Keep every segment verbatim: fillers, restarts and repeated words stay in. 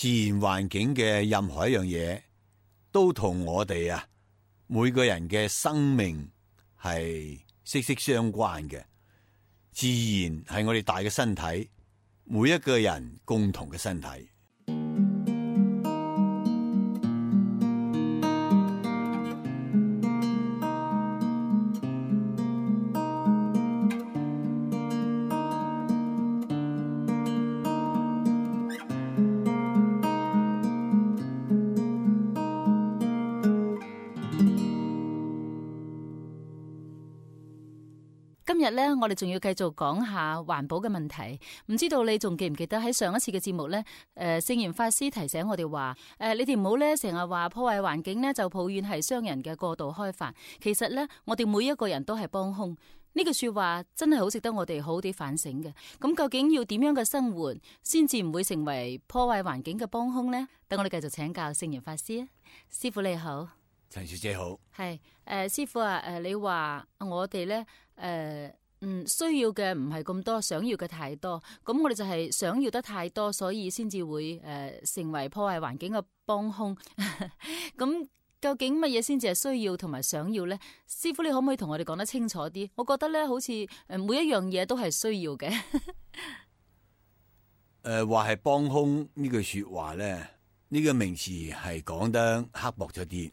自然環境嘅任何一樣嘢，都同我哋啊每個人嘅生命係息息相關嘅。自然係我哋大嘅身體，每一個人共同嘅身體。今日咧，我哋仲要繼續講下環保嘅問題。唔知道你仲記唔記得喺上一次嘅節目咧？誒、呃，聖嚴法師提醒我哋話：誒、呃，你哋唔好咧成日話破壞環境咧，就抱怨係商人嘅過度開發。其實咧，我哋每一個人都係幫兇。呢句說話真係好值得我哋好好地反省嘅。咁究竟要點樣嘅生活，先至唔會成為破壞環境嘅幫兇呢？等我哋繼續請教聖嚴法師啊，師父你好。陳小姐好。係誒、呃，師父啊，誒、呃，你話我哋咧。誒、呃，嗯，需要嘅唔係咁多，想要嘅太多，咁我哋就係想要得太多，所以先至會誒、呃、成為破壞環境嘅幫兇。咁究竟乜嘢先至係需要同埋想要咧？師父，你可唔可以同我哋講得清楚啲？我覺得咧，好似誒每一樣嘢都係需要嘅。誒、呃，話係幫兇呢句說話咧，呢、這個名詞係講得刻薄咗啲。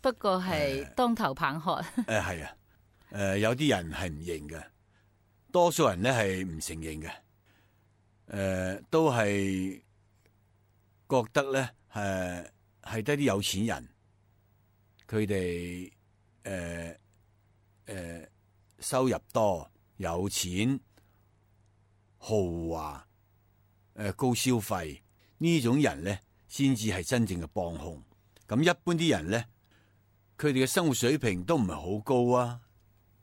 不過係當頭棒喝。誒、呃，係、呃、啊。誒、呃，有啲人係唔認嘅，多數人咧係唔承認嘅。誒、呃，都係覺得咧，誒係得啲有錢人，佢哋誒誒收入多、有錢、豪華、誒、呃、高消費呢種人咧，先至係真正嘅幫兇。咁一般啲人咧，佢哋嘅生活水平都唔係好高啊。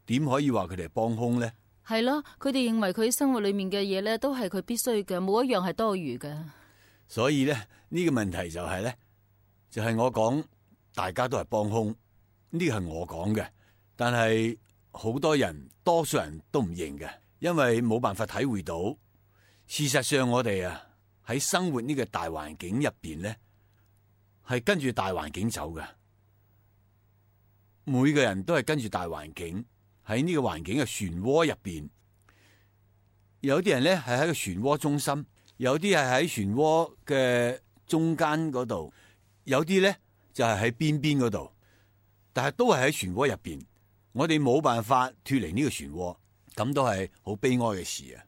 點可以話佢哋係幫兇咧？係咯，佢哋認為佢生活裏面嘅嘢咧，都係佢必須嘅，冇一樣係多餘嘅。所以咧，呢個問題就係咧，就係我講，大家都係幫兇，呢個係我講嘅，但係好多人，多數人都唔認嘅，因為冇辦法體會到，事實上我哋啊喺生活呢個大環境入邊咧，係跟住大環境走嘅，每個人都係跟住大環境。喺呢個環境嘅漩渦入邊，有啲人咧係喺個漩渦中心，有啲係喺漩渦嘅中間嗰度，有啲咧就係喺邊邊嗰度，但係都係喺漩渦入邊。我哋冇辦法脫離呢個漩渦，咁都係好悲哀嘅事啊！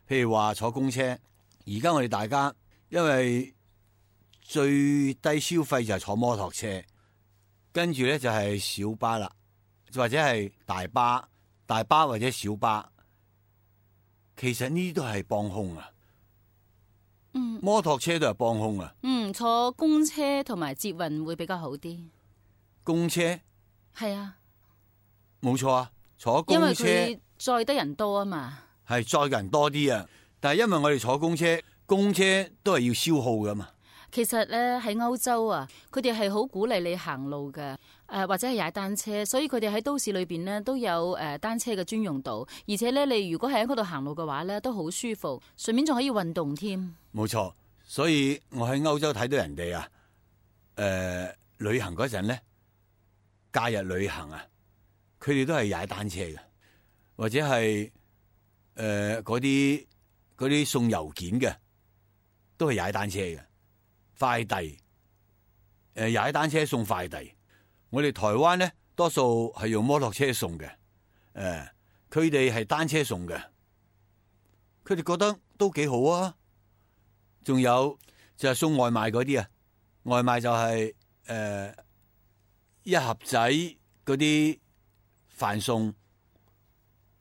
譬如話坐公車，而家我哋大家因為最低消費就係坐摩托車，跟住咧就係小巴啦。或者係大巴、大巴或者小巴，其實呢啲都係幫兇啊。嗯，摩托車都係幫兇啊。嗯，坐公車同埋捷運會比較好啲。公車係啊，冇錯啊，坐公車因為佢載得人多啊嘛。係載人多啲啊，但係因為我哋坐公車，公車都係要消耗噶嘛。其實咧喺歐洲啊，佢哋係好鼓勵你行路嘅，誒、呃、或者係踩單車，所以佢哋喺都市裏邊呢都有誒、呃、單車嘅專用道，而且咧你如果喺嗰度行路嘅話咧都好舒服，順便仲可以運動添。冇錯，所以我喺歐洲睇到人哋啊，誒、呃、旅行嗰陣咧，假日旅行啊，佢哋都係踩單車嘅，或者係誒嗰啲嗰啲送郵件嘅，都係踩單車嘅。快遞，誒，踩單車送快遞。我哋台灣咧，多數係用摩托車送嘅，誒、呃，佢哋係單車送嘅，佢哋覺得都幾好啊。仲有就係送外賣嗰啲啊，外賣就係、是、誒、呃、一盒仔嗰啲飯餸。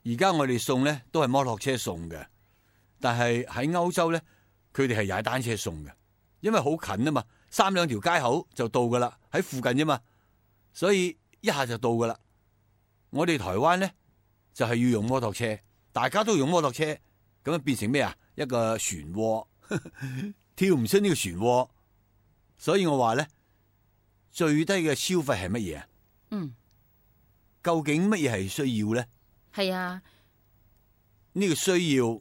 而家我哋送咧都係摩托車送嘅，但係喺歐洲咧，佢哋係踩單車送嘅。因為好近啊嘛，三兩條街口就到噶啦，喺附近啫嘛，所以一下就到噶啦。我哋台灣咧就係、是、要用摩托車，大家都用摩托車，咁樣變成咩啊？一個漩渦，跳唔出呢個漩渦。所以我話咧，最低嘅消費係乜嘢啊？嗯，究竟乜嘢係需要咧？係啊，呢個需要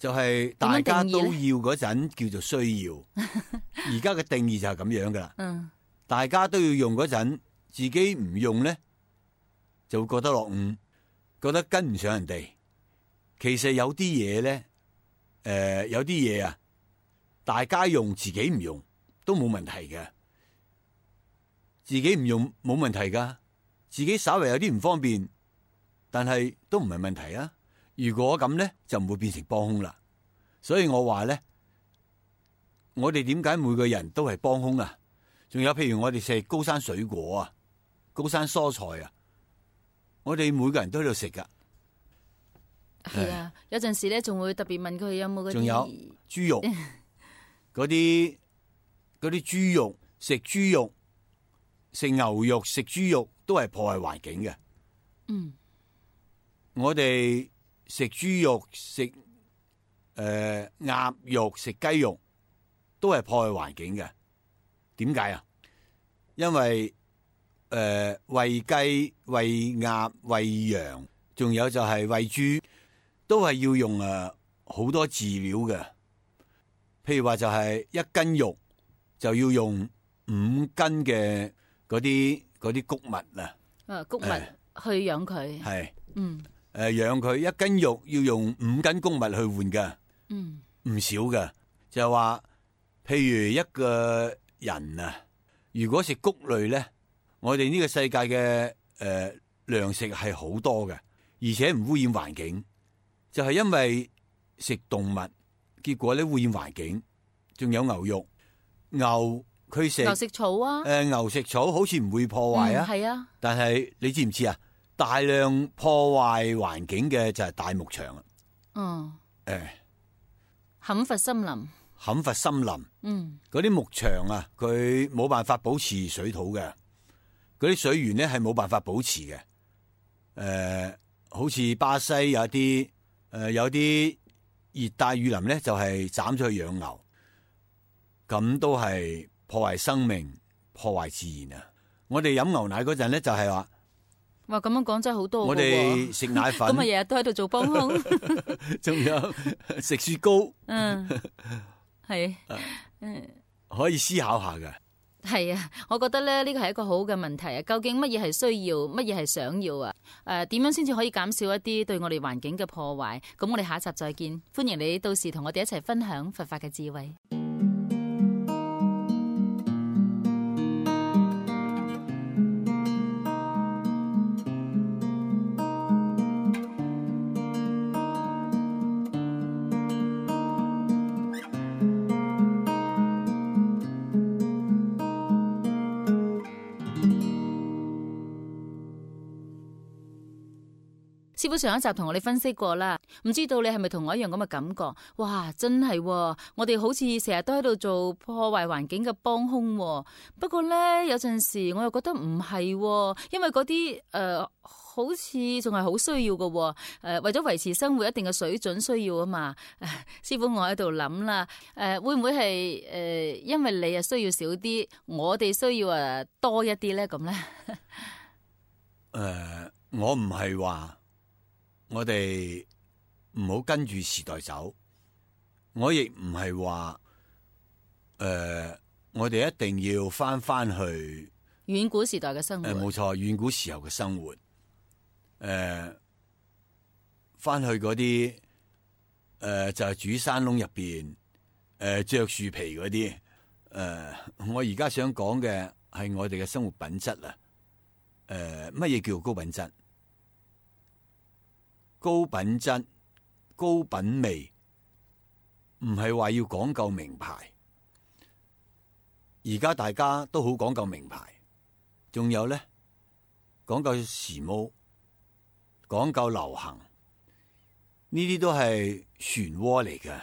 就係大家都要嗰陣叫做需要。而家嘅定義就係咁樣噶啦。嗯，大家都要用嗰陣，自己唔用咧，就會覺得落伍，覺得跟唔上人哋。其實有啲嘢咧，誒、呃，有啲嘢啊，大家用自己唔用都冇問題嘅。自己唔用冇問題噶，自己稍微有啲唔方便，但係都唔係問題啊。如果咁咧，就唔會變成幫兇啦。所以我話咧，我哋點解每個人都係幫兇啊？仲有譬如我哋食高山水果啊、高山蔬菜啊，我哋每個人都喺度食噶。係啊，有陣時咧仲會特別問佢有冇嗰啲。仲有豬肉，嗰啲嗰啲豬肉，食豬肉、食牛肉、食豬肉都係破壞環境嘅。嗯，我哋食豬肉、食誒鴨肉、食雞肉都係破壞環境嘅。點解啊？因為誒餵雞、餵鴨、餵羊，仲有就係餵豬，都係要用誒好多飼料嘅。譬如話就係一斤肉就要用五斤嘅嗰啲嗰啲穀物啊。啊，穀物去養佢。係，嗯，誒養佢一斤肉要用五斤穀物去換噶。嗯，唔少嘅。就係話，譬如一個人啊，如果食穀類咧，我哋呢個世界嘅誒糧食係好多嘅，而且唔污染環境。就係因為食動物，結果咧污染環境。仲有牛肉，牛佢食牛食草啊，誒牛食草好似唔會破壞啊，係啊。但係你知唔知啊？大量破壞環境嘅就係大牧場啊。嗯，誒，砍伐森林，砍伐森林。嗯，嗰啲牧場啊，佢冇辦法保持水土嘅，嗰啲水源咧係冇辦法保持嘅。誒、呃，好似巴西有啲誒、呃、有啲熱帶雨林咧，就係斬咗去養牛，咁都係破壞生命、破壞自然啊！我哋飲牛奶嗰陣咧，就係話，哇，咁樣講真係好多。我哋食奶粉，咁啊日日都喺度做幫兇，仲有食雪糕，嗯，係，嗯，可以思考下嘅。係啊，我覺得咧呢個係一個好嘅問題啊！究竟乜嘢係需要，乜嘢係想要啊？誒、呃，點樣先至可以減少一啲對我哋環境嘅破壞？咁我哋下一集再見，歡迎你到時同我哋一齊分享佛法嘅智慧。師傅上一集同我哋分析過啦，唔知道你係咪同我一樣咁嘅感覺？哇，真係、哦，我哋好似成日都喺度做破壞環境嘅幫兇、哦。不過咧，有陣時我又覺得唔係、哦，因為嗰啲誒好似仲係好需要嘅、哦。誒、呃，為咗維持生活一定嘅水準需要啊嘛。呃、師傅，我喺度諗啦，誒、呃，會唔會係誒、呃，因為你啊需要少啲，我哋需要啊多一啲咧？咁咧？誒、呃，我唔係話。我哋唔好跟住時代走，我亦唔係話，誒、呃，我哋一定要翻翻去遠古時代嘅生活。誒、呃，冇錯，遠古時候嘅生活，誒、呃，翻去嗰啲，誒、呃，就係、是、住山窿入邊，誒、呃，着樹皮嗰啲，誒、呃，我而家想講嘅係我哋嘅生活品質啊，誒、呃，乜嘢叫高品質？高品質、高品味，唔係話要講究名牌。而家大家都好講究名牌，仲有咧講究時髦、講究流行，呢啲都係漩渦嚟㗎。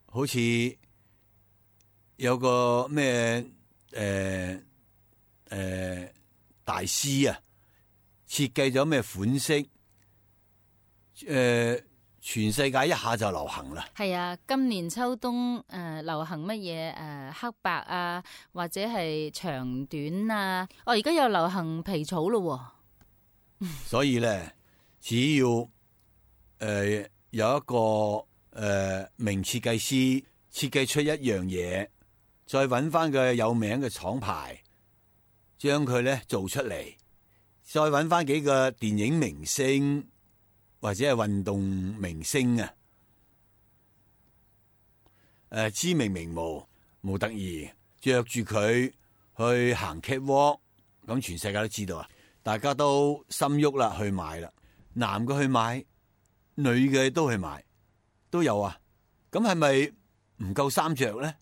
好似有個咩誒誒大師啊，設計咗咩款式？誒、呃，全世界一下就流行啦。係啊，今年秋冬誒、呃、流行乜嘢誒黑白啊，或者係長短啊。哦，而家又流行皮草咯。所以咧，只要誒、呃、有一個誒、呃、名設計師設計出一樣嘢，再揾翻個有名嘅廠牌，將佢咧做出嚟，再揾翻幾個電影明星或者係運動明星啊，誒、呃、知名名模模特兒着住佢去行 catwalk， 咁全世界都知道啊，大家都心喐啦，去買啦，男嘅去買，女嘅都去買，都有啊。咁係咪唔夠衫着咧？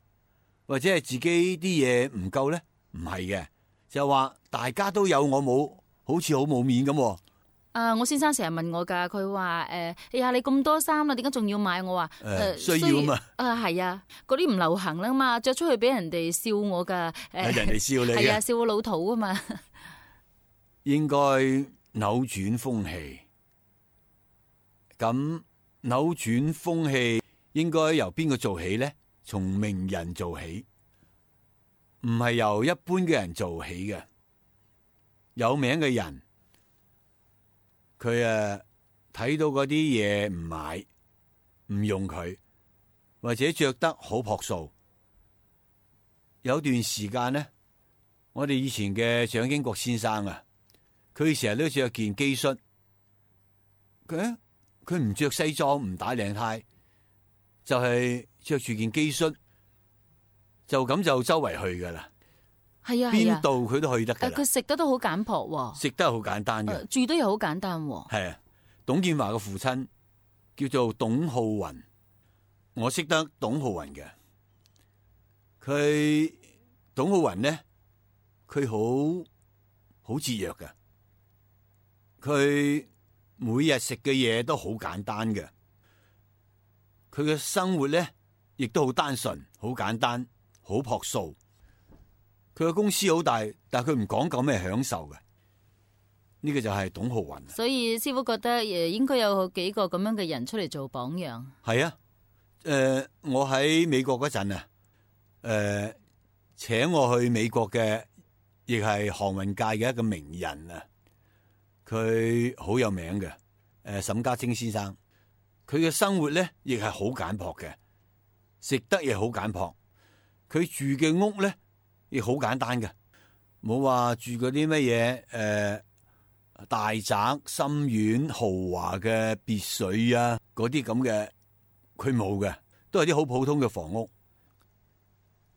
或者係自己啲嘢唔夠咧？唔係嘅，就話大家都有，我冇，好似好冇面咁。啊，我先生成日問我噶，佢話誒，哎呀，你咁多衫啦，點解仲要買？我話誒、呃，需要嘛。啊，係啊，嗰啲唔流行啦嘛，着出去俾人哋笑我噶。誒、呃，人哋笑你嘅，係啊，笑我老土啊嘛。應該扭轉風氣。咁扭轉風氣應該由邊個做起咧？從名人做起，唔係由一般嘅人做起嘅。有名嘅人，佢誒睇到嗰啲嘢唔買，唔用佢，或者着得好樸素。有段時間咧，我哋以前嘅蔣經國先生啊，佢成日都着件機恤，佢佢唔着西裝，唔打領呔，就係着住件機恤，就咁就周圍去噶啦。係啊，邊度佢都去得噶啦。佢食得都好簡樸，食得好簡單嘅、呃，住得又好簡單。係啊，董建華嘅父親叫做董浩雲，我識得董浩雲嘅。佢董浩雲咧，佢好好節約嘅，佢每日食嘅嘢都好簡單嘅，佢嘅生活咧亦都好單純、好簡單、好樸素。佢嘅公司好大，但係佢唔講究咩享受嘅。呢、這個就係董浩雲。所以師傅覺得誒，應該有幾個咁樣嘅人出嚟做榜樣。係啊，誒、呃，我喺美國嗰陣啊，誒、呃，請我去美國嘅，亦係航運界嘅一個名人啊。佢好有名嘅，誒、呃，沈家清先生。佢嘅生活咧，亦係好簡樸嘅，食得亦好簡樸。佢住嘅屋咧，亦好簡單嘅，冇話住嗰啲乜嘢誒大宅、深院、豪華嘅別墅啊，嗰啲咁嘅，佢冇嘅，都係啲好普通嘅房屋。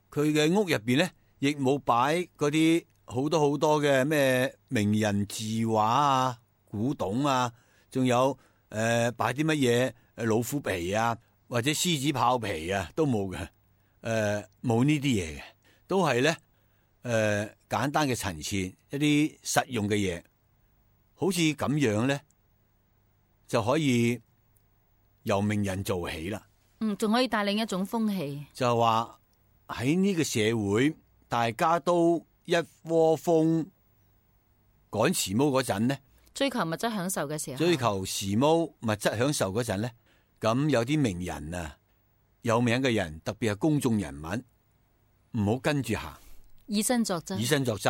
佢嘅屋入邊咧，亦冇擺嗰啲好多好多嘅咩名人字畫啊、古董啊，仲有誒擺啲乜嘢誒老虎皮啊，或者獅子豹皮啊，都冇嘅，誒冇呢啲嘢嘅，都係咧。誒、呃，簡單嘅陳設，一啲實用嘅嘢，好似咁樣咧，就可以由名人做起啦。嗯，仲可以帶領一種風氣。就係話喺呢個社會，大家都一窩蜂趕時髦嗰陣咧，追求物質享受嘅時候，追求時髦物質享受嗰陣咧，咁有啲名人啊，有名嘅人，特別係公眾人物，唔好跟住行。以身作則，以身作則。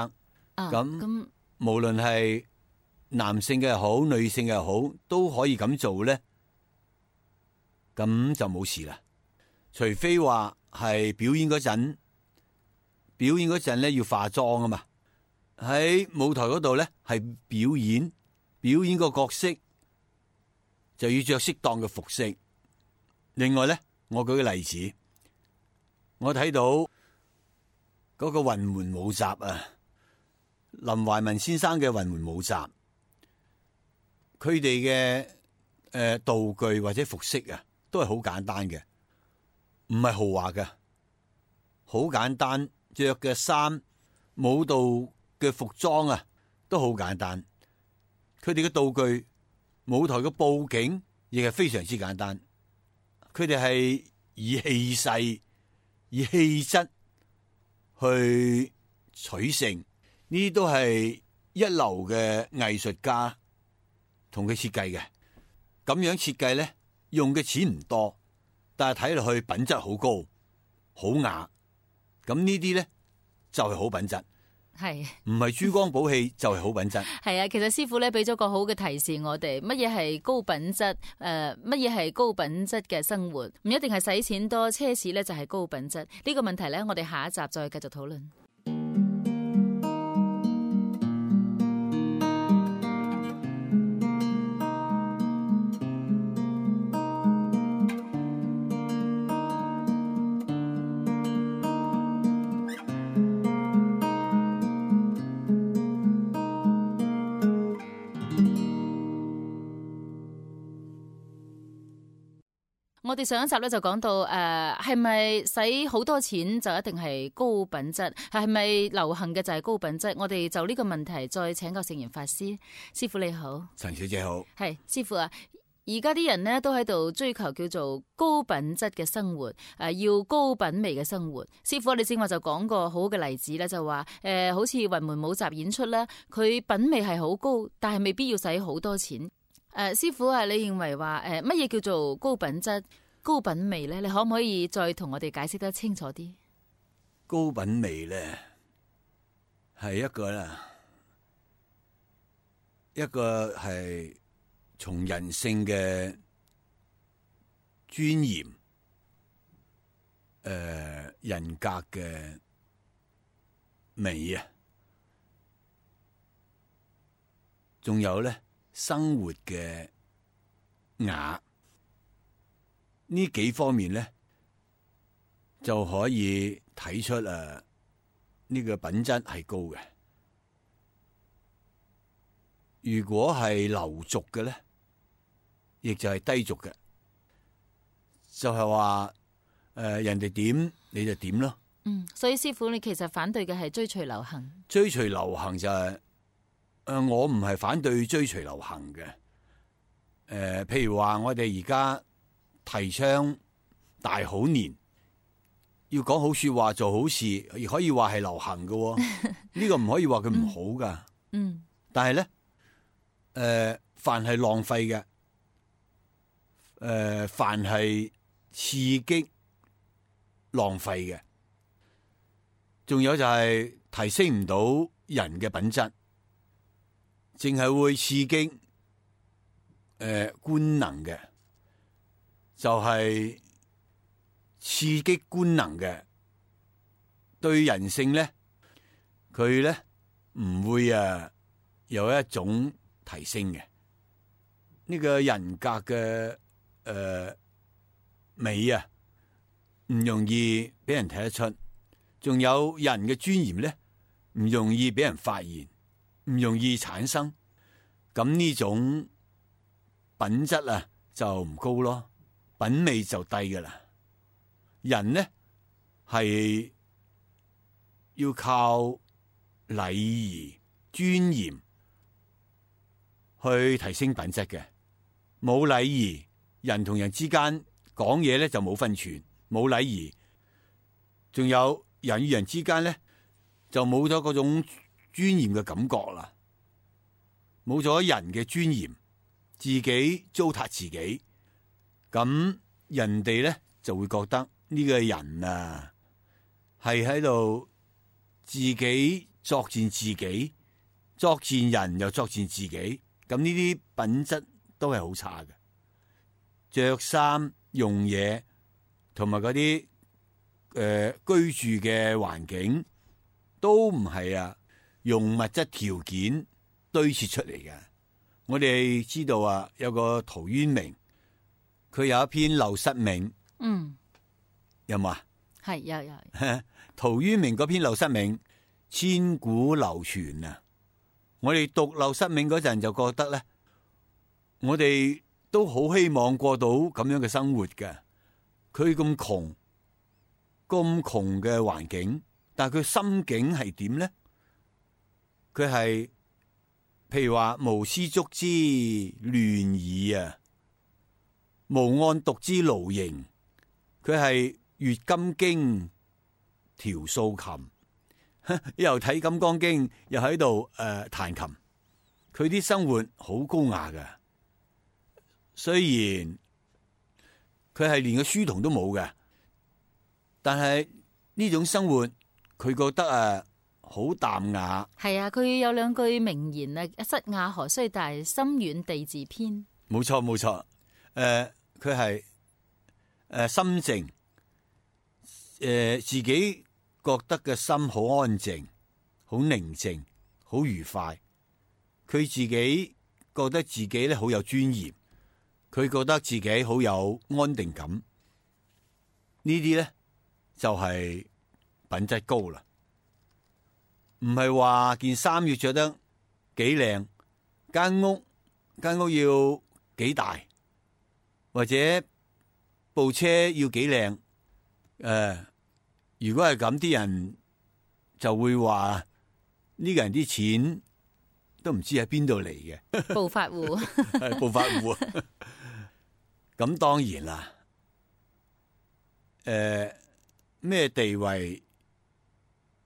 咁咁、啊、無論係男性嘅又好，女性嘅又好，都可以咁做咧。咁就冇事啦。除非話係表演嗰陣，表演嗰陣咧要化妝啊嘛。喺舞台嗰度咧係表演，表演個角色就要着適當嘅服飾。另外咧，我舉個例子，我睇到。嗰、那個雲門舞集啊，林懷民先生嘅雲門舞集，佢哋嘅誒道具或者服飾啊，都係好簡單嘅，唔係豪華嘅，好簡單，着嘅衫、舞蹈嘅服裝啊，都好簡單。佢哋嘅道具、舞台嘅佈景亦係非常之簡單。佢哋係以氣勢、以氣質。去取勝，呢啲都係一流嘅藝術家同佢設計嘅。咁樣設計咧，用嘅錢唔多，但係睇落去品質好高，好雅。咁呢啲咧就係好品質。係唔係珠光寶氣就係好品質。係啊，其實師傅咧俾咗個好嘅提示我哋，乜嘢係高品質？誒、呃，乜嘢係高品質嘅生活？唔一定係使錢多奢侈咧就係高品質。呢、這個問題咧，我哋下一集再繼續討論。我哋上一集咧就講到誒，係咪使好多錢就一定係高品質？係咪流行嘅就係高品質？我哋就呢個問題再請教聖嚴法師。師傅你好。陳小姐好。係師傅啊，而家啲人呢都喺度追求叫做高品質嘅生活，誒要高品味嘅生活。師傅，你正話就講個好嘅例子咧，就話誒、呃，好似雲門舞集演出啦，佢品味係好高，但係未必要使好多錢。誒、呃，師傅啊，你認為話誒乜嘢叫做高品質、高品味咧？你可唔可以再同我哋解釋得清楚啲？高品味咧係一個啦，一個係從人性嘅尊嚴、誒、呃、人格嘅美啊，仲有咧。生活嘅雅呢幾方面咧，就可以睇出誒呢、呢個品質係高嘅。如果係流俗嘅咧，亦就係低俗嘅，就係話誒人哋點你就點咯。嗯，所以師傅你其實反對嘅係追隨流行。追隨流行就係、是。誒、呃，我唔係反對追隨流行嘅。誒、呃，譬如話我哋而家提倡大好年，要講好說話做好事，亦可以話係流行嘅、哦。呢個唔可以話佢唔好噶。嗯。但係咧，誒、呃，凡係浪費嘅，誒、呃，凡係刺激浪費嘅，仲有就係提升唔到人嘅品質。淨係會刺激誒、呃、官能嘅，就係、是、刺激官能嘅，對人性咧，佢咧唔會啊有一種提升嘅。呢、這個人格嘅誒、呃、美啊，唔容易俾人睇得出。仲有人嘅尊嚴咧，唔容易俾人發現。唔容易產生，咁呢種品質啊就唔高咯，品味就低噶啦。人呢係要靠禮儀尊嚴去提升品質嘅，冇禮儀，人同人之間講嘢咧就冇分寸，冇禮儀，仲有人與人之間咧就冇咗嗰種尊嚴嘅感覺啦，冇咗人嘅尊嚴，自己糟蹋自己，咁人哋咧就會覺得呢個人啊係喺度自己作踐自己，作踐人又作踐自己，咁呢啲品質都係好差嘅，着衫用嘢同埋嗰啲誒居住嘅環境都唔係啊。用物質條件堆砌出嚟嘅。我哋知道啊，有個陶淵明，佢有一篇《陋室銘》。嗯，有冇啊？係有有。陶淵明嗰篇《陋室銘》千古流傳啊！我哋讀《陋室銘》嗰陣就覺得咧，我哋都好希望過到咁樣嘅生活嘅。佢咁窮，咁窮嘅環境，但係佢心境係點咧？佢係譬如話無絲竹之亂耳啊，無案牘之勞形。佢係閱金經調素琴，又睇金剛經，又喺度誒彈琴。佢啲生活好高雅㗎，雖然佢係連個書童都冇嘅，但係呢種生活佢覺得啊好淡雅。係啊，佢有兩句名言啊，塞亞河雖大，心遠地自偏。冇錯冇錯，誒佢係誒心靜，誒、呃、自己覺得嘅心好安靜、好寧靜、好愉快。佢自己覺得自己咧好有尊嚴，佢覺得自己好有安定感。呢啲咧就係、是、品質高啦，唔係話件衫要着得幾靚，間屋間屋要幾大，或者部車要幾靚。誒、呃，如果係咁，啲人就會話呢個人啲錢都唔知喺邊度嚟嘅。暴發戶係暴發戶。咁當然啦，誒、呃，咩地位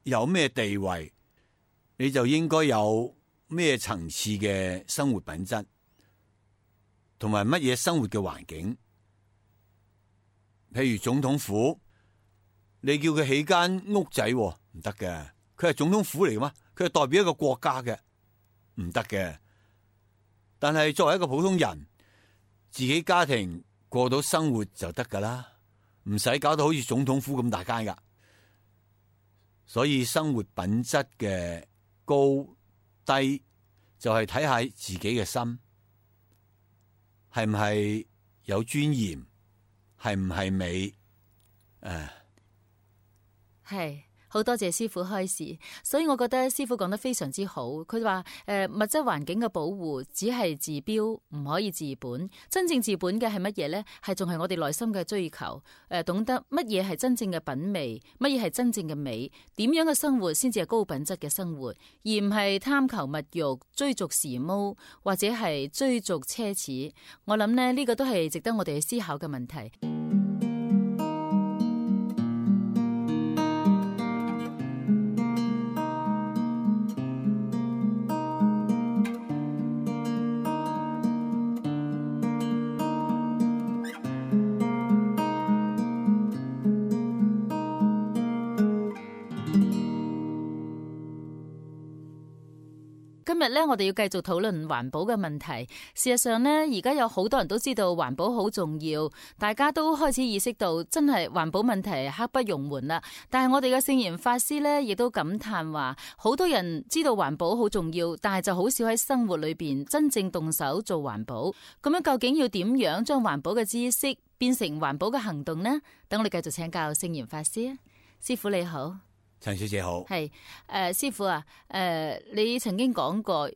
有咩地位，你就應該有咩層次嘅生活品質。同埋乜嘢生活嘅環境，譬如總統府，你叫佢起間屋仔唔得嘅，佢係總統府嚟嘅嘛，佢係代表一個國家嘅，唔得嘅。但係作為一個普通人，自己家庭過到生活就得噶啦，唔使搞到好似總統府咁大間噶。所以生活品質嘅高低，就係睇下自己嘅心。係唔係有尊嚴？係唔係美？誒，係好多謝師傅開示，所以我覺得師傅講得非常之好。佢話誒，物質環境嘅保護只係治標，唔可以治本。真正治本嘅係乜嘢呢？係仲係我哋內心嘅追求。誒，懂得乜嘢係真正嘅品味，乜嘢係真正嘅美？點樣嘅生活先至係高品質嘅生活，而唔係貪求物慾、追逐時髦或者係追逐奢侈。我諗呢，呢個都係值得我哋去思考嘅問題。今日咧，我哋要繼續討論環保嘅問題。事實上呢，而家有好多人都知道環保好重要，大家都開始意識到真係環保問題刻不容緩啦。但係我哋嘅聖嚴法師呢，亦都感嘆話，好多人知道環保好重要，但係就好少喺生活裏邊真正動手做環保。咁樣究竟要點樣將環保嘅知識變成環保嘅行動呢？等我哋繼續請教聖嚴法師啊，師父你好。陳小姐好，係誒、呃，師傅啊，誒、呃，你曾經講過，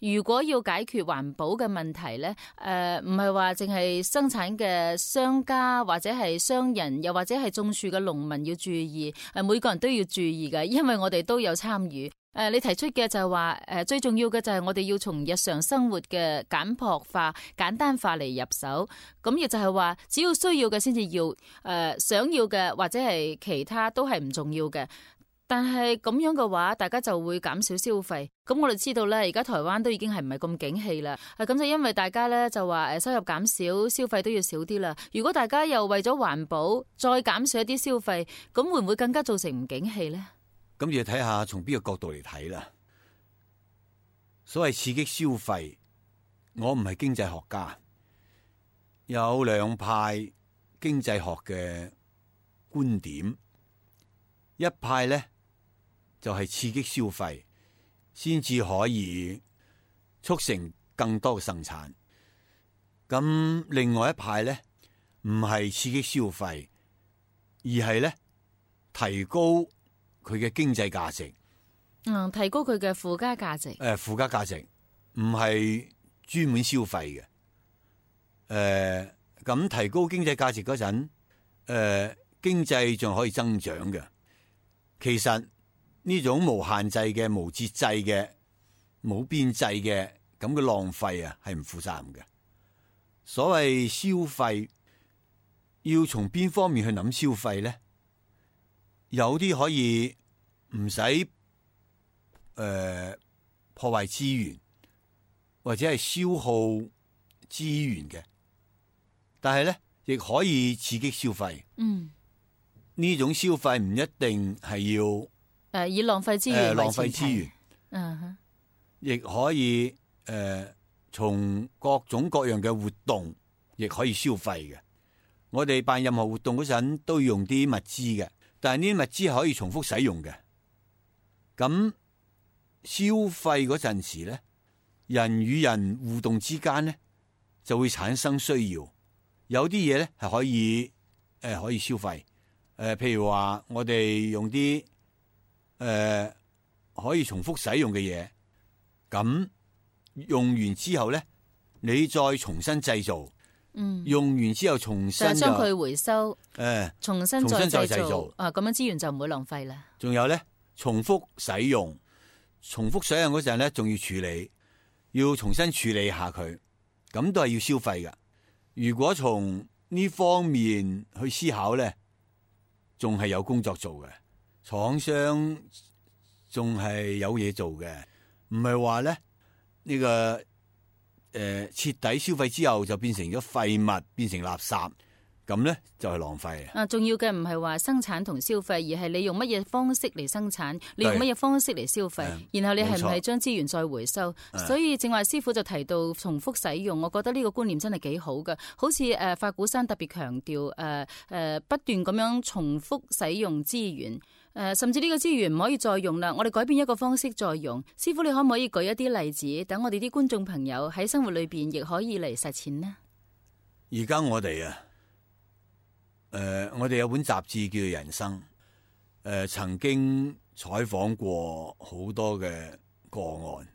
如果要解決環保嘅問題咧，誒、呃，唔係話淨係生產嘅商家或者係商人，又或者係種樹嘅農民要注意，誒，每個人都要注意嘅，因為我哋都有參與。誒、呃，你提出嘅就係話，誒、呃，最重要嘅就係我哋要從日常生活嘅簡樸化、簡單化嚟入手，咁亦就係話，只要需要嘅先至要，誒、呃，想要嘅或者係其他都係唔重要嘅。但係咁樣嘅話，大家就會減少消費。咁我哋知道咧，而家台灣都已經係唔係咁景氣啦。咁就因為大家咧就話誒收入減少，消費都要少啲啦。如果大家又為咗環保再減少一啲消費，咁會唔會更加造成唔景氣咧？咁要睇下從邊個角度嚟睇啦。所謂刺激消費，我唔係經濟學家，有兩派經濟學嘅觀點，一派咧。就係刺激消費，先至可以促成更多嘅生產。咁另外一派咧，唔係刺激消費，而係咧提高佢嘅經濟價值。嗯，提高佢嘅附加價值。誒，附加價值唔係專門消費嘅。誒、呃，咁提高經濟價值嗰陣，誒、呃，經濟仲可以增長嘅。其實。呢種無限制嘅、無節制嘅、冇邊際嘅咁嘅浪費啊，係唔負責任嘅。所謂消費，要從邊方面去諗消費咧？有啲可以唔使誒破壞資源，或者係消耗資源嘅，但係咧亦可以刺激消費。嗯，呢種消費唔一定係要誒，以浪費資源為呃浪前提費資源，嗯哼，亦可以誒從、呃、各種各樣嘅活動，亦可以消費嘅。我哋辦任何活動嗰陣都要用啲物資嘅，但係呢啲物資係可以重複使用嘅。咁消費嗰陣時咧，人與人互動之間咧就會產生需要，有啲嘢咧係可以誒、呃、可以消費。誒、呃，譬如話我哋用啲誒、呃、可以重複使用嘅嘢，咁用完之後咧，你再重新製造。嗯，用完之後重新就將佢回收，誒，重新再重新再製造製造，啊，咁樣資源就唔會浪費啦。仲有咧，重複使用，重複使用嗰陣咧，仲要處理，要重新處理下佢，咁都係要消費噶。如果從呢方面去思考咧，仲係有工作做嘅，廠商仲係有嘢做嘅，唔係話咧呢個。誒、呃，徹底消費之後就變成咗廢物，變成垃圾，咁咧就係、是、浪費啊！啊，重要嘅唔係話生產同消費，而係你用乜嘢方式嚟生產，你用乜嘢方式嚟消費，然後你係唔係將資源再回收？所以正話師傅就提到重複使用，我覺得呢個觀念真係幾好嘅。好似誒法鼓山特別強調誒誒不斷咁樣重複使用資源。誒、呃，甚至呢個資源唔可以再用啦，我哋改變一個方式再用。師傅，你可唔可以舉一啲例子，等我哋啲觀眾朋友喺生活裏邊亦可以嚟實踐呢？而家我哋啊，誒、呃，我哋有本雜誌叫做《人生》，誒、呃，曾經採訪過好多嘅個案，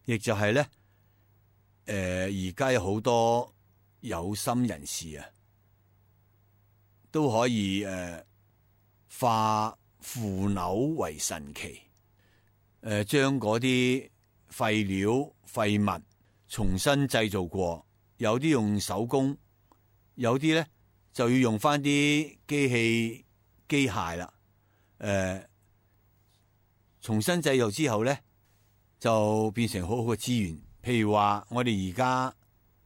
亦就係咧，誒、呃，而家有好多有心人士啊，都可以誒、呃、化腐朽為神奇，誒、呃，將嗰啲廢料廢物重新製造過，有啲用手工，有啲咧就要用翻啲機器機械啦，誒、呃，重新製造之後咧就變成好好嘅資源。譬如話我哋而家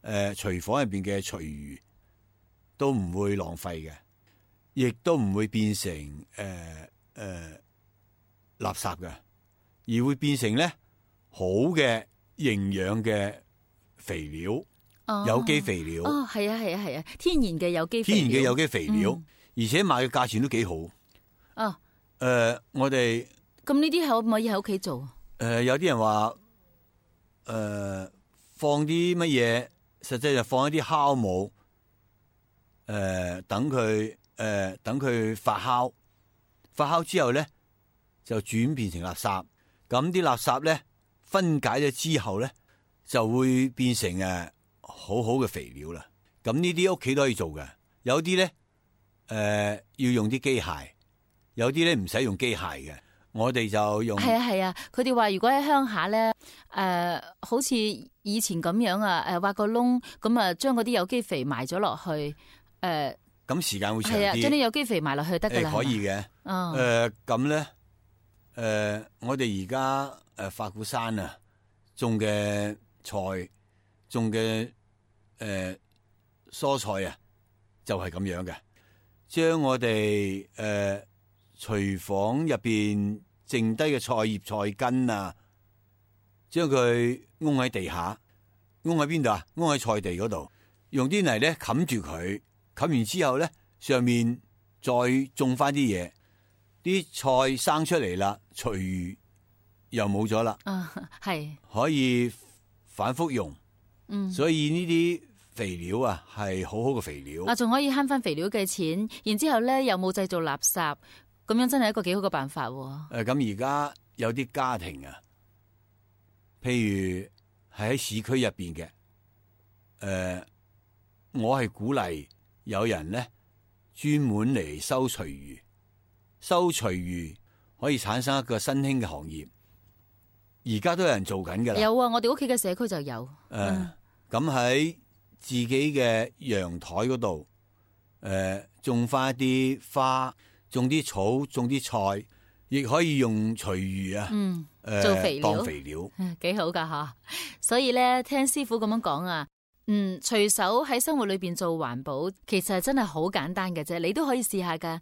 誒廚房入邊嘅廚餘都唔會浪費嘅，亦都唔會變成誒。呃誒、呃，垃圾嘅，而會變成咧好嘅營養嘅肥料，哦、有機肥料。哦，係啊，係啊，係啊，天然嘅有機肥料，天然嘅有機肥料，嗯、而且賣嘅價錢都幾好。哦，誒、呃，我哋咁呢啲可唔可以喺屋企做？誒、呃，有啲人話，誒、呃，放啲乜嘢，實際就放一啲酵母，誒、呃，等佢，誒、呃，等佢發酵。發酵之後咧，就轉變成垃圾。咁啲垃圾咧分解咗之後咧，就會變成誒好好嘅肥料啦。咁呢啲屋企都可以做嘅。有啲咧誒要用啲機械，有啲咧唔使用機械嘅。我哋就用係啊係啊。佢哋話如果喺鄉下咧，誒、呃、好似以前咁樣啊，誒挖個窿，咁啊將嗰啲有機肥埋咗落去，誒、呃。咁時間會長啲，係啊，將啲有機肥埋落去得噶啦，可以嘅。誒咁咧，誒、呃、我哋而家誒法鼓山啊種嘅菜，種嘅誒、呃、蔬菜啊，就係、是、咁樣嘅。將我哋誒、呃、廚房入邊剩低嘅菜葉菜根啊，將佢掹喺地下，掹喺邊度啊？掹喺菜地嗰度，用啲泥咧冚住佢。冚完之後咧，上面再種翻啲嘢，啲菜生出嚟啦，廚餘又冇咗啦。啊，係可以反覆用。嗯，所以呢啲肥料啊，係好好嘅肥料。啊，仲可以慳翻肥料嘅錢，然之後咧又冇製造垃圾，咁樣真係一個幾好嘅辦法。誒、呃，咁而家有啲家庭啊，譬如係喺市區入邊嘅，誒、呃，我係鼓勵。有人咧專門嚟收廚餘，收廚餘可以產生一個新興嘅行業。而家都有人做緊㗎啦。有啊，我哋屋企嘅社區就有。誒、呃，咁喺、嗯、自己嘅陽台嗰度，誒、呃，種翻一啲花，種啲草，種啲菜，亦可以用廚餘啊，嗯，呃、做肥料，當肥料，幾好噶吓。所以咧，聽師傅咁樣講啊。嗯，隨手喺生活裏邊做環保，其實真係好簡單嘅啫，你都可以試下噶。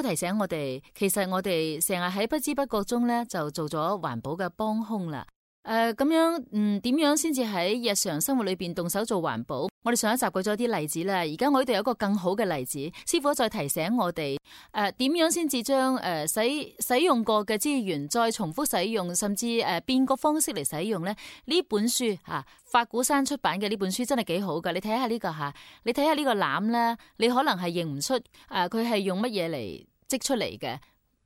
傅提醒我哋，其實我哋成日喺不知不覺中咧就做咗環保嘅幫兇啦。誒、呃，咁樣，嗯，點樣先至喺日常生活裏邊動手做環保？我哋上一集舉咗啲例子啦，而家我呢度有一個更好嘅例子，師傅再提醒我哋，誒、呃，點樣先至將誒使使用過嘅資源再重複使用，甚至誒、呃、變個方式嚟使用咧？呢本書吓、啊，法鼓山出版嘅呢本書真係幾好噶，你睇下呢個吓，你睇下呢個籃咧，你可能係認唔出誒，佢係用乜嘢嚟織出嚟嘅？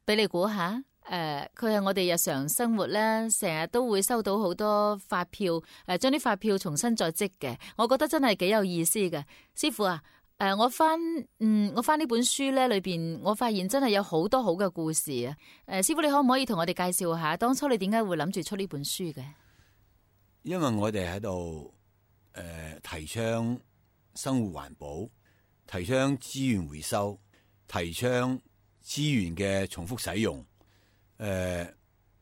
俾你估下。誒，佢係、呃、我哋日常生活咧，成日都會收到好多發票，誒、呃，將啲發票重新再織嘅，我覺得真係幾有意思嘅。師傅啊，誒、呃，我翻，嗯，我翻呢本書咧裏邊，我發現真係有好多好嘅故事啊。誒、呃，師傅你可唔可以同我哋介紹下，當初你點解會諗住出呢本書嘅？因為我哋喺度誒提倡生活環保，提倡資源回收，提倡資源嘅重複使用。誒，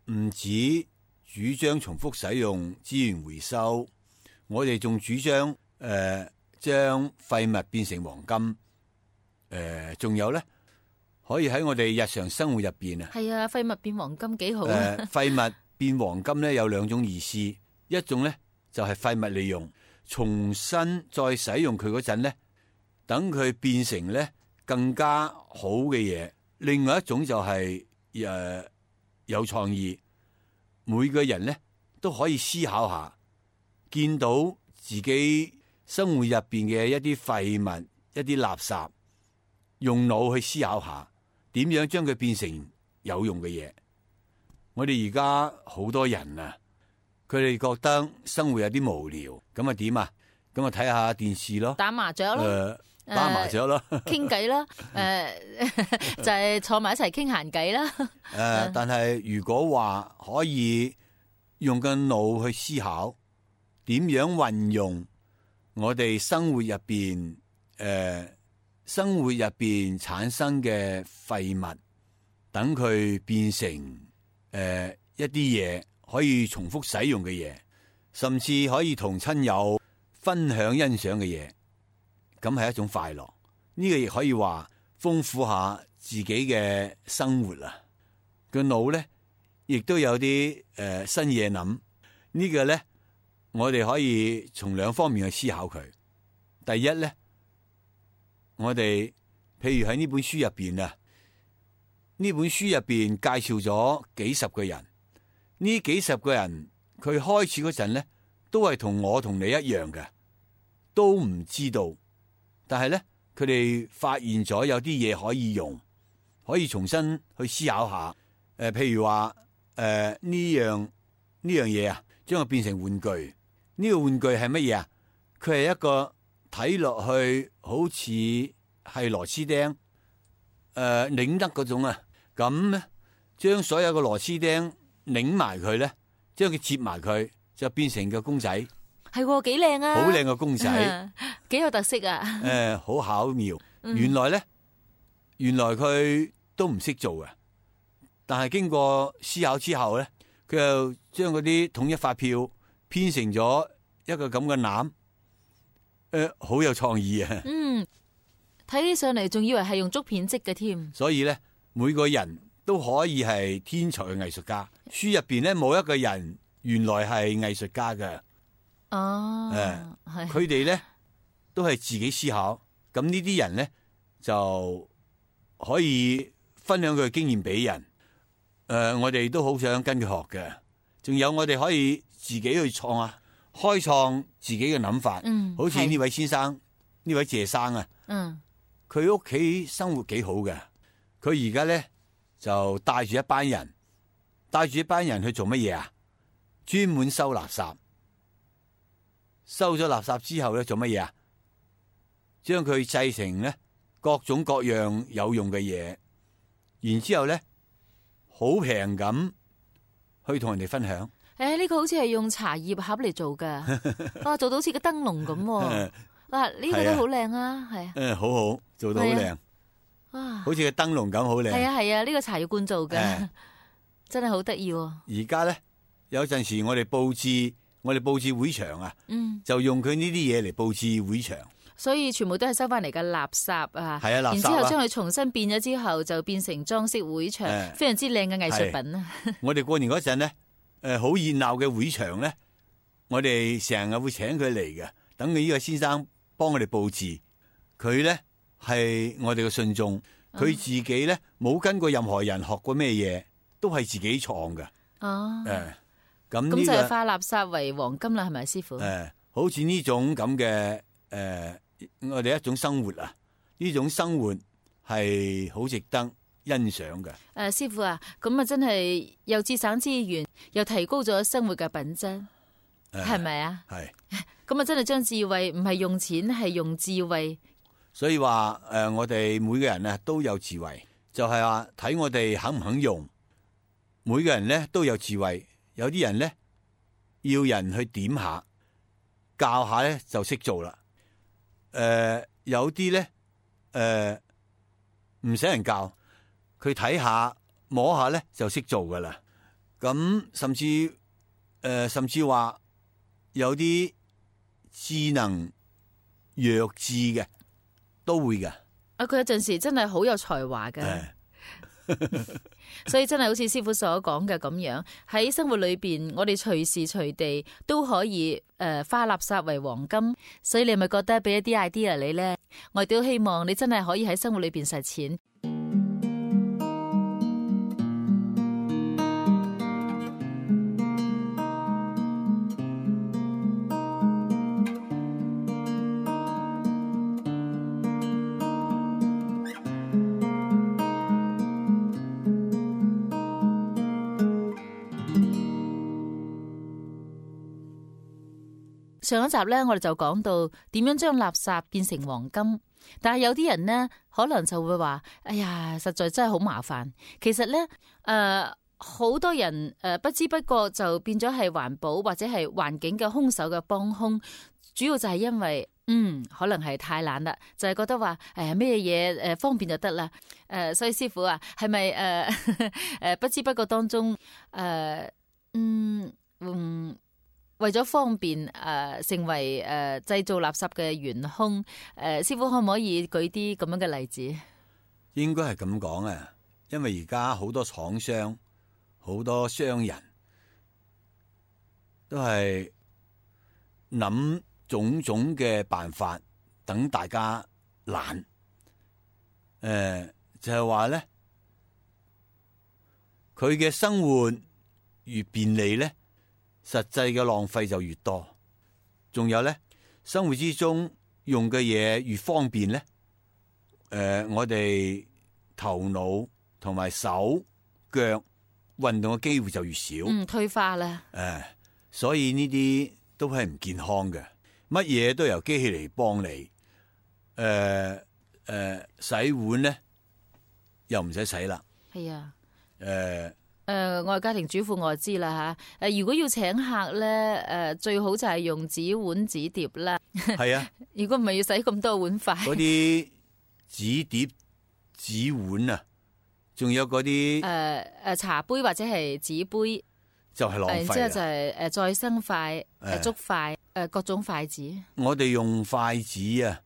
唔、呃、止主張重複使用資源回收，我哋仲主張誒將廢物變成黃金。誒、呃，仲有咧，可以喺我哋日常生活入邊啊。係啊，廢物變黃金幾好啊！誒，廢物變黃金咧有兩種意思，一種咧就係、是、廢物利用，重新再使用佢嗰陣咧，等佢變成咧更加好嘅嘢。另外一種就係、是、誒。呃有創意，每個人咧都可以思考下，見到自己生活入邊嘅一啲廢物、一啲垃圾，用腦去思考下，點樣將佢變成有用嘅嘢。我哋而家好多人啊，佢哋覺得生活有啲無聊，咁啊點啊？咁啊睇下電視咯，打麻雀咯。呃打麻雀咯，傾偈啦，誒、呃，就係、是、坐埋一齊傾閒偈啦。誒、呃，但係如果話可以用個腦去思考，點樣運用我哋生活入邊，誒、呃，生活入邊產生嘅廢物，等佢變成誒、呃、一啲嘢可以重複使用嘅嘢，甚至可以同親友分享欣賞嘅嘢。咁係一種快樂，呢、這個亦可以話豐富下自己嘅生活啊！個腦咧，亦都有啲誒、呃、新嘢諗。這個、呢個咧，我哋可以從兩方面去思考佢。第一咧，我哋譬如喺呢本書入邊啊，呢本書入邊介紹咗幾十個人，呢幾十個人佢開始嗰陣咧，都係同我同你一樣嘅，都唔知道。但係咧，佢哋發現咗有啲嘢可以用，可以重新去思考下。誒、呃，譬如話誒呢樣呢樣嘢啊，將佢變成玩具。呢、這個玩具係乜嘢啊？佢係一個睇落去好似係螺絲釘，誒、呃、擰得嗰種啊。咁咧，將所有嘅螺絲釘擰埋佢咧，將佢接埋佢，就變成個公仔。係幾靚啊！好靚嘅公仔，幾有特色啊！誒、呃，好巧妙。原來咧，原來佢都唔識做嘅，但係經過思考之後咧，佢又將嗰啲統一發票編成咗一個咁嘅籃，誒、呃，好有創意啊！嗯，睇起上嚟仲以為係用竹片織嘅添。所以咧，每個人都可以係天才嘅藝術家。書入邊咧，冇一個人原來係藝術家嘅。哦，誒，佢哋咧都係自己思考，咁呢啲人咧就可以分享佢嘅經驗俾人。誒、呃，我哋都好想跟佢學嘅。仲有我哋可以自己去創啊，開創自己嘅諗法。嗯，好似呢位先生，呢位謝生啊，嗯，佢屋企生活幾好嘅。佢而家咧就帶住一班人，帶住一班人去做乜嘢啊？專門收垃圾。收咗垃圾之後咧，做乜嘢啊？將佢製成咧各種各樣有用嘅嘢，然之後咧好平咁去同人哋分享。誒、欸，呢、這個好似係用茶葉盒嚟做噶，啊，做到好似個燈籠咁。啊，呢、這個都好靚啊，係啊。誒，好好，做到好靚。啊，好似個燈籠咁好靚。係啊係啊，呢、這個茶葉罐做嘅，欸、真係好得意。而家咧有陣時我哋布置。我哋布置會場啊，嗯、就用佢呢啲嘢嚟布置會場。所以全部都係收翻嚟嘅垃圾啊！係啊，垃圾啊，然之後將佢重新變咗之後，就變成裝飾會場，誒非常之靚嘅藝術品啊！我哋過年嗰陣咧，誒好熱鬧嘅會場咧，我哋成日會請佢嚟嘅，等佢呢個先生幫我哋佈置。佢咧係我哋嘅信眾，佢自己咧冇跟過任何人學過咩嘢，都係自己創嘅。哦，誒咁咁就呢個係化垃圾為黃金啦，係咪師傅？誒，好似呢種咁嘅誒，我哋一種生活啊，呢種生活係好值得欣賞嘅。誒，師傅啊，咁啊真係又節省資源，又提高咗生活嘅品質，係咪啊？係。咁啊真係將智慧唔係用錢，係用智慧。所以話誒、呃，我哋每個人咧都有智慧，就係話睇我哋肯唔肯用。每個人咧都有智慧，有啲人咧要人去點下、教下咧就識做啦。誒、呃，有啲咧誒唔使人教，佢睇下摸下咧就識做噶啦。咁甚至誒、呃，甚至話有啲智能弱智嘅。都會噶，啊！佢有陣時真係好有才華嘅，所以真係好似師傅所講嘅咁樣，喺生活裏邊，我哋隨時隨地都可以誒、呃、化垃圾為黃金。所以你係咪覺得俾一啲 idea 你呢？我亦都希望你真係可以喺生活裏邊實踐。上一集咧，我哋就講到點樣將垃圾變成黃金，但係有啲人呢，可能就會話：哎呀，實在真係好麻煩。其實咧，誒、呃，好多人誒、呃、不知不覺就變咗係環保或者係環境嘅兇手嘅幫兇，主要就係因為，嗯，可能係太懶啦，就係、是、覺得話，誒咩嘢誒方便就得啦。誒、呃，所以師傅啊，係咪誒誒不知不覺當中，誒、呃，嗯嗯。為咗方便誒、呃，成為誒、呃、製造垃圾嘅元兇，誒、呃，師傅可唔可以舉啲咁樣嘅例子？應該係咁講啊，因為而家好多廠商、好多商人都係諗種種嘅辦法，等大家懶。誒、呃，就係話咧，佢嘅生活越便利咧，實際嘅浪費就越多，仲有咧，生活之中用嘅嘢越方便咧，誒、呃，我哋頭腦同埋手腳運動嘅機會就越少，嗯，退化啦，誒、呃，所以呢啲都係唔健康嘅，乜嘢都由機器嚟幫你，誒、呃、誒、呃，洗碗咧又唔使洗啦，係啊，誒、呃。誒、呃，我係家庭主婦，我就知啦吓。誒，如果要請客咧，誒、呃，最好就係用紙碗紙碟啦。係啊，如果唔係要洗咁多碗筷。嗰啲紙碟、紙碗啊，仲有嗰啲誒誒茶杯或者係紙杯，就係浪費。然之後就係誒再生筷、誒竹筷、誒各種筷子。我哋用筷子啊，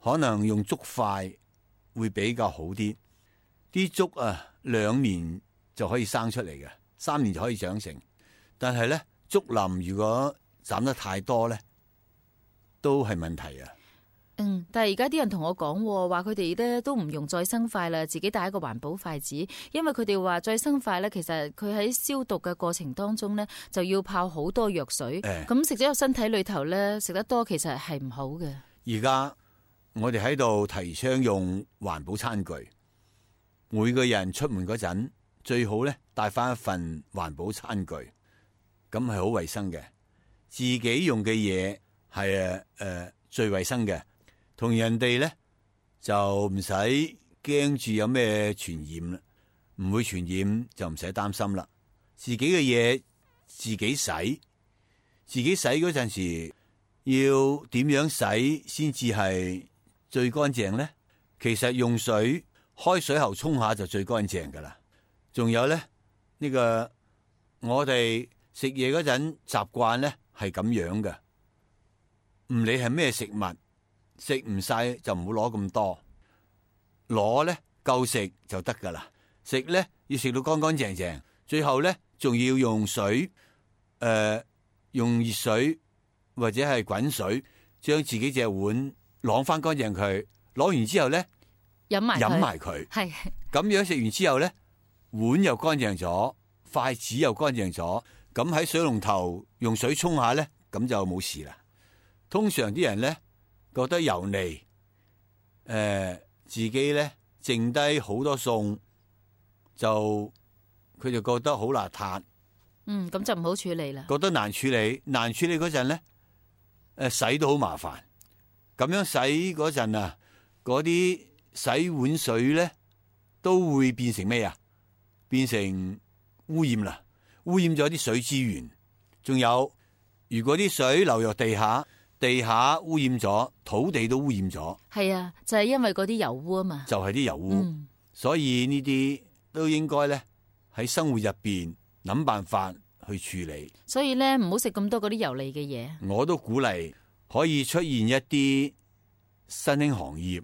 可能用竹筷會比較好啲。啲竹啊，兩年就可以生出嚟嘅，三年就可以長成。但係咧，竹林如果斬得太多咧，都係問題啊。嗯，但係而家啲人同我講，話佢哋咧都唔用再生筷啦，自己帶一個環保筷子，因為佢哋話再生筷咧，其實佢喺消毒嘅過程當中咧，就要泡好多藥水，咁食咗入身體裏頭咧，食得多其實係唔好嘅。而家我哋喺度提倡用環保餐具，每個人出門嗰陣，最好咧帶翻一份環保餐具，咁係好衛生嘅。自己用嘅嘢係誒最衛生嘅，同人哋咧就唔使驚住有咩傳染啦，唔會傳染就唔使擔心啦。自己嘅嘢自己洗，自己洗嗰陣時要點樣洗先至係最乾淨咧？其實用水開水喉沖下就最乾淨噶啦。仲有咧，呢個我哋食嘢嗰陣習慣咧係咁樣嘅，唔理係咩食物，食唔晒就唔好攞咁多，攞咧夠食就得噶啦。食咧要食到乾乾淨淨，最後咧仲要用水，誒、呃，用熱水或者係滾水，將自己隻碗晾翻乾淨佢。攞完之後咧，飲埋飲埋佢。係咁樣食完之後咧，碗又乾淨咗，筷子又乾淨咗。咁喺水龍頭用水沖下咧，咁就冇事啦。通常啲人咧覺得油膩，誒、呃，自己咧剩低好多餸，就佢就覺得好邋遢。嗯，咁就唔好處理啦。覺得難處理，難處理嗰陣咧，誒，洗都好麻煩。咁樣洗嗰陣啊，嗰啲洗碗水咧都會變成咩啊？變成污染啦，污染咗啲水資源。仲有，如果啲水流入地下，地下污染咗，土地都污染咗。係啊，就係因為嗰啲油污啊嘛。就係啲油污，嗯、所以呢啲都應該咧喺生活入邊諗辦法去處理。所以咧，唔好食咁多嗰啲油膩嘅嘢。我都鼓勵可以出現一啲新興行業。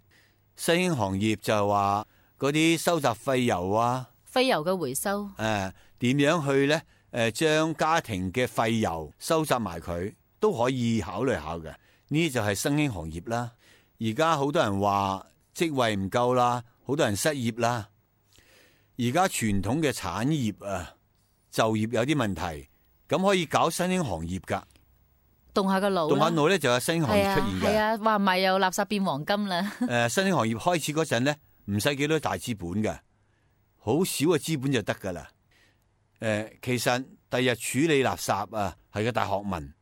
新興行業就係話嗰啲收集廢油啊，廢油嘅回收。誒、呃，點樣去咧？誒、呃，將家庭嘅廢油收集埋佢，都可以考慮下嘅。呢啲就係新興行業啦。而家好多人話職位唔夠啦，好多人失業啦。而家傳統嘅產業啊，就業有啲問題，咁可以搞新興行業噶。動下個腦，動下腦咧就有新興行業出現嘅。係啊，話唔係又垃圾變黃金啦。誒、呃，新興行業開始嗰陣咧，唔使幾多大資本嘅，好少嘅資本就得噶啦。誒、呃，其實第日處理垃圾啊係個大學問。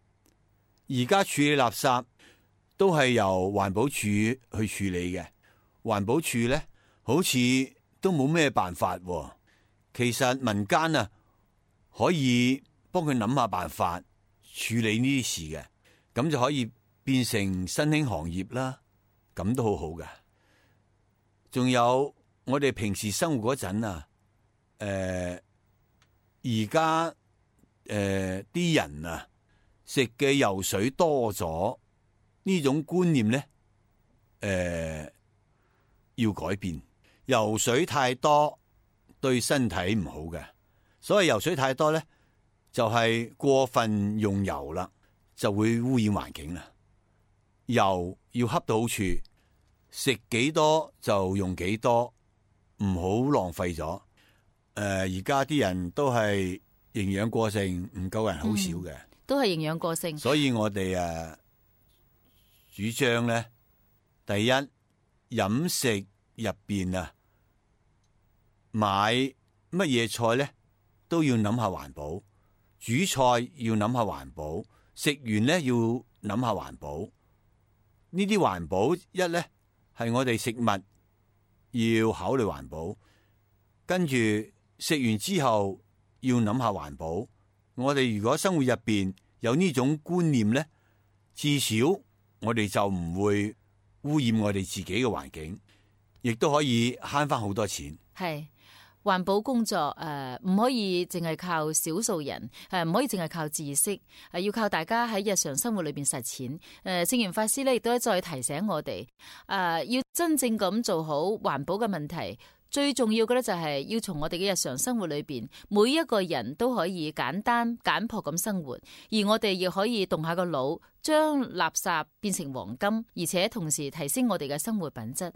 而家處理垃圾都係由環保署去處理嘅。環保署咧好似都冇咩辦法、啊。其實民間啊可以幫佢諗下辦法處理呢啲事嘅，咁就可以變成新興行業啦。咁都好好嘅。仲有我哋平時生活嗰陣啊，誒而家誒啲人啊食嘅油水多咗，呢種觀念咧誒、呃、要改變。油水太多對身體唔好嘅，所以油水太多咧就係、是、過分用油啦，就會污染環境啦。油要恰到好處，食幾多就用幾多，唔好浪費咗。誒、呃，而家啲人都係營養過剩，唔夠人好少嘅、嗯，都係營養過剩。所以我哋誒主張咧，第一飲食入邊啊，買乜嘢菜咧都要諗下環保，煮菜要諗下環保，食完咧要諗下環保。呢啲環保一咧係我哋食物要考慮環保，跟住食完之後要諗下環保。我哋如果生活入邊有呢種觀念咧，至少我哋就唔會污染我哋自己嘅環境，亦都可以慳翻好多錢。係。環保工作誒，唔、呃、可以淨係靠少數人，誒、呃、唔可以淨係靠知識，誒、呃、要靠大家喺日常生活裏邊實踐。誒、呃，聖嚴法師咧亦都再提醒我哋，誒、呃、要真正咁做好環保嘅問題，最重要嘅咧就係要從我哋嘅日常生活裏邊，每一個人都可以簡單簡樸咁生活，而我哋亦可以動下個腦，將垃圾變成黃金，而且同時提升我哋嘅生活品質。